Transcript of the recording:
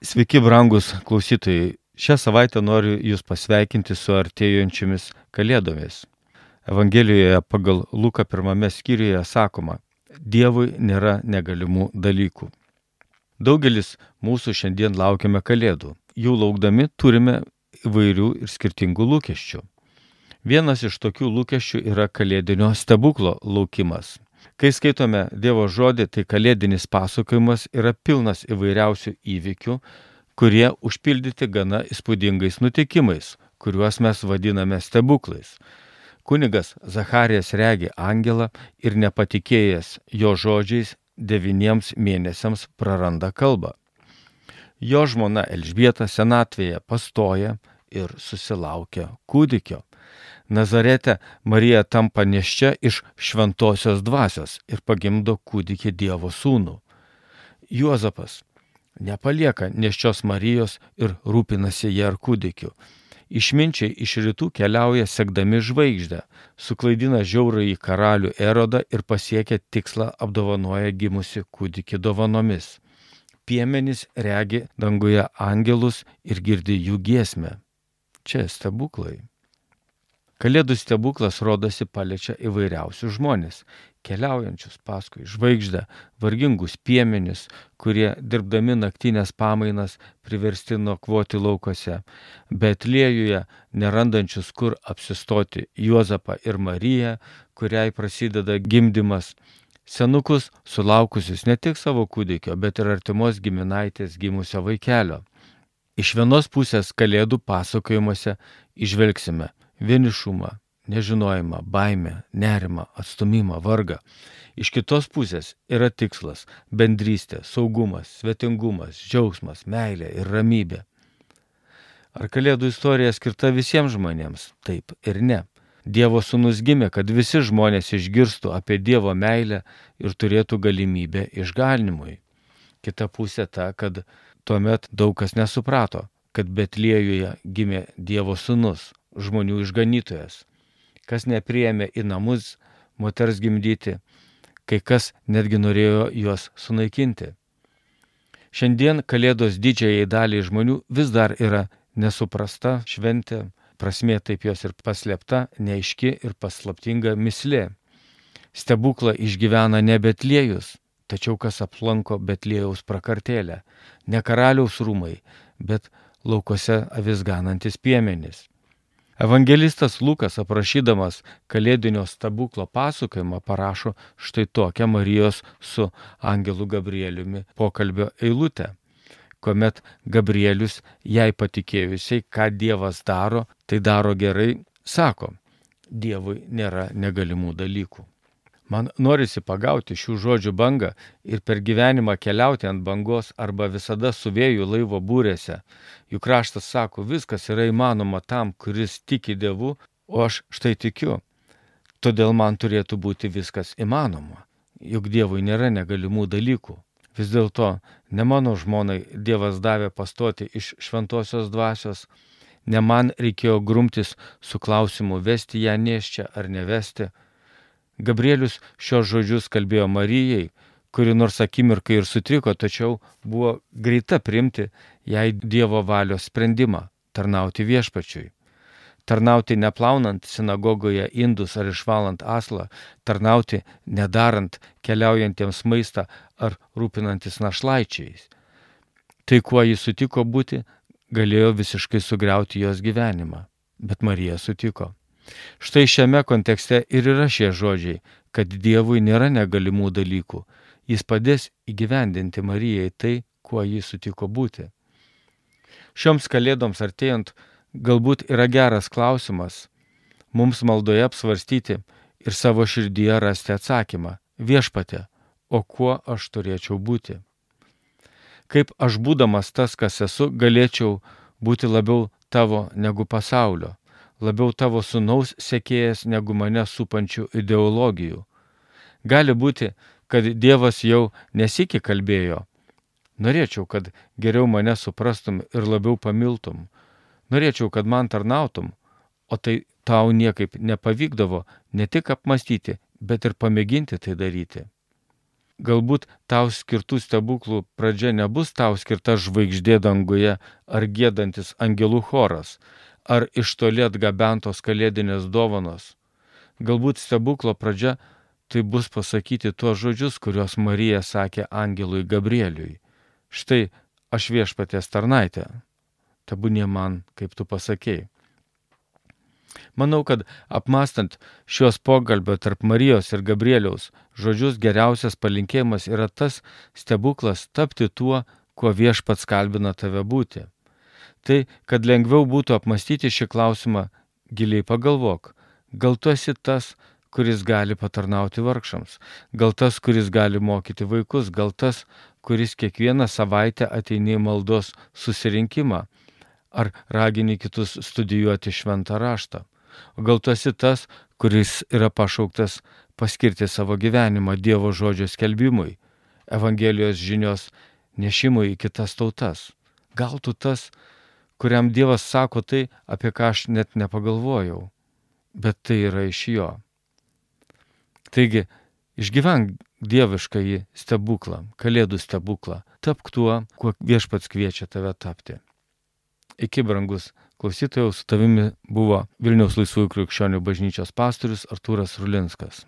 Sveiki, brangus klausytojai. Šią savaitę noriu Jūs pasveikinti su artėjančiomis Kalėdomis. Evangelijoje pagal Luką 1 skyriuje sakoma: Dievui nėra negalimų dalykų. Daugelis mūsų šiandien laukiame Kalėdų. Jų laukdami turime įvairių ir skirtingų lūkesčių. Vienas iš tokių lūkesčių yra kalėdinio stebuklo laukimas. Kai skaitome Dievo žodį, tai kalėdinis pasakojimas yra pilnas įvairiausių įvykių, kurie užpildyti gana įspūdingais nutikimais, kuriuos mes vadiname stebuklais. Kunigas Zacharijas regi angelą ir nepatikėjęs jo žodžiais 9 mėnesiams praranda kalbą. Jo žmona Elžbieta senatvėje pastoja ir susilaukia kūdikio. Nazarete Marija tampa nėščia iš šventosios dvasios ir pagimdo kūdikį Dievo sūnų. Juozapas nepalieka nėščios Marijos ir rūpinasi ją ir kūdikiu. Išminčiai iš rytų keliauja sekdami žvaigždę, suklaidina žiaurųjį karalių Erodą ir pasiekia tikslą apdovanoja gimusi kūdikį dovanomis. Piemenys regi danguje angelus ir girdi jų giesmę. Čia stebuklai. Kalėdų stebuklas rodosi paliečia įvairiausius žmonės, keliaujančius paskui žvaigždę, vargingus piemenis, kurie dirbdami naktinės pamainas priversti nakvoti laukose, Betliejuje nerandančius kur apsistoti Juozapą ir Mariją, kuriai prasideda gimdymas, senukus sulaukusius ne tik savo kūdikio, bet ir artimos giminaitės gimusio vaikelio. Iš vienos pusės Kalėdų pasakojimuose įžvelgsime vienišumą, nežinojimą, baimę, nerimą, atstumimą, vargą. Iš kitos pusės yra tikslas – bendrystė, saugumas, svetingumas, džiaugsmas, meilė ir ramybė. Ar Kalėdų istorija skirta visiems žmonėms? Taip ir ne. Dievo sūnus gimė, kad visi žmonės išgirstų apie Dievo meilę ir turėtų galimybę išganimui. Kita pusė ta, kad tuomet daug kas nesuprato, kad Betliejuje gimė Dievo sūnus, žmonių išganytojas. Kas nepriėmė į namus moters gimdyti, kai kas netgi norėjo juos sunaikinti. Šiandien Kalėdos didžiajai daliai žmonių vis dar yra nesuprasta šventė, prasmė taip jos ir paslėpta, neaiški ir paslaptinga mislė. Stebuklą išgyvena ne Betliejus, tačiau kas aplanko Betliejaus prakartėlę, ne karaliaus rūmai, bet laukose avis ganantis piemenys. Evangelistas Lukas, aprašydamas kalėdinio stebuklo pasakojimą, parašo štai tokią Marijos su angelu Gabrieliumi pokalbio eilutę, kuomet Gabrielius jai patikėjusiai, ką Dievas daro, tai daro gerai, sako: Dievui nėra negalimų dalykų. Man norisi pagauti šių žodžių bangą ir per gyvenimą keliauti ant bangos arba visada su vėju laivo būrėse. Juk raštas sako, viskas yra įmanoma tam, kuris tiki Dievu, o aš štai tikiu. Todėl man turėtų būti viskas įmanoma. Juk Dievui nėra negalimų dalykų. Vis dėlto ne mano žmonai Dievas davė pastoti iš šventosios dvasios, ne man reikėjo grumtis su klausimu vesti ją nėščią ar nevesti. Gabrielius šios žodžius kalbėjo Marijai, kuri nors akimirkai ir sutriko, tačiau buvo greita priimti jai Dievo valios sprendimą – tarnauti viešpačiui. Tarnauti neplaunant sinagogoje indus ar išvalant aslą, tarnauti nedarant keliaujantiems maistą ar rūpinantis našlaičiais. Tai, kuo jis sutiko būti, galėjo visiškai sugriauti jos gyvenimą, bet Marija sutiko. Štai šiame kontekste ir yra šie žodžiai, kad Dievui nėra negalimų dalykų. Jis padės įgyvendinti Marijai tai, kuo jis sutiko būti. Šioms kalėdoms artėjant galbūt yra geras klausimas mums maldoje apsvarstyti ir savo širdyje rasti atsakymą: Viešpatie, o kuo aš turėčiau būti? Kaip aš būdamas tas, kas esu, galėčiau būti labiau tavo negu pasaulio? Labiau tavo sūnaus sekėjas negu mane supančių ideologijų. Gali būti, kad Dievas jau nesikį kalbėjo: norėčiau, kad geriau mane suprastum ir labiau pamiltum. Norėčiau, kad man tarnautum, o tai tau niekaip nepavykdavo ne tik apmastyti, bet ir pamėginti tai daryti. Galbūt tau skirtų stebuklų pradžia nebus tau skirta žvaigždė danguje ar giedantis angelų choras, ar iš toli atgabentos kalėdinės dovanos. Galbūt stebuklo pradžia tai bus pasakyti tuos žodžius, kuriuos Marija sakė angelui Gabrieliui. Štai aš viešpaties tarnaitė, tebūnie man, kaip tu pasakėjai. Manau, kad apmastant šios pokalbio tarp Marijos ir Gabrieliaus žodžius geriausias palinkėjimas yra tas stebuklas tapti tuo, kuo viešpats kalbina tave būti. Tai, kad lengviau būtų apmastyti šį klausimą, giliai pagalvok, gal tu esi tas, kuris gali patarnauti vargšams, gal tas, kuris gali mokyti vaikus, gal tas, kuris kiekvieną savaitę ateini į maldos susirinkimą, ar ragini kitus studijuoti šventą raštą. O gal tu esi tas, kuris yra pašauktas paskirti savo gyvenimą Dievo žodžio skelbimui, Evangelijos žinios nešimui į kitas tautas. Gal tu tas, kuriam Dievas sako tai, apie ką aš net nepagalvojau, bet tai yra iš jo. Taigi, išgyvenk dieviškąjį stebuklą, kalėdų stebuklą, tapk tuo, kuo viešpats kviečia tave tapti. Iki, brangus klausytojau, su tavimi buvo Vilniaus Laisvųjų krikščionių bažnyčios pastorius Artūras Rulinskas.